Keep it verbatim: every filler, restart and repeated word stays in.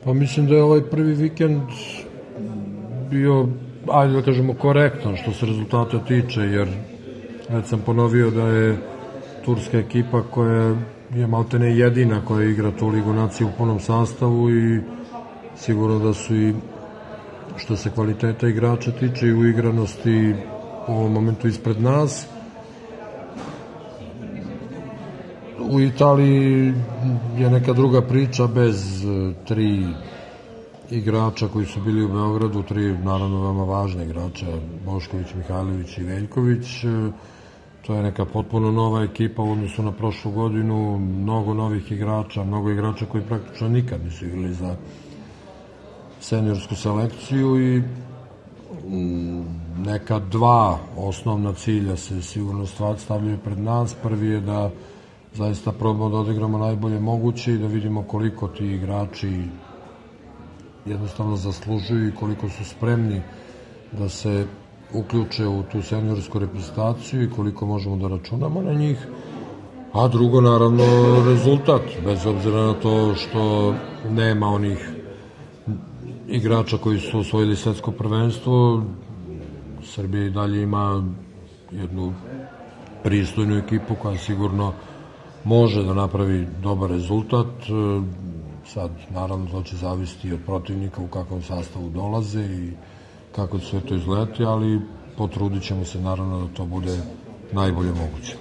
Pa mislim da je ovaj prvi vikend bio, ajde da kažemo, korektan što se rezultata tiče, jer već sam ponovio da je turska ekipa koja je maltene jedina koja igra tu Ligu nacije u punom sastavu i sigurno da su i što se kvaliteta igrača tiče i uigranosti u ovom momentu ispred nas. U Italiji je neka druga priča bez tri igrača koji su bili u Beogradu, tri naravno veoma važne igrača, Bošković, Mihajlović i Veljković. To je neka potpuno nova ekipa u odnosu na prošlu godinu, mnogo novih igrača, mnogo igrača koji praktično nikad nisu igrali za seniorsku selekciju i neka dva osnovna cilja se sigurno stavljaju pred nas. Prvi je da zaista probamo da odigramo najbolje moguće i da vidimo koliko ti igrači jednostavno zaslužuju i koliko su spremni da se uključe u tu seniorsku reprezentaciju i koliko možemo da računamo na njih. A drugo, naravno, rezultat, bez obzira na to što nema onih igrača koji su osvojili svetsko prvenstvo. Srbija i dalje ima jednu pristojnu ekipu koja sigurno može da napravi dobar rezultat. Sad, naravno, to će zavisiti od protivnika u kakvom sastavu dolaze i kako će sve to izgledati, ali potrudit ćemo se naravno da to bude najbolje moguće.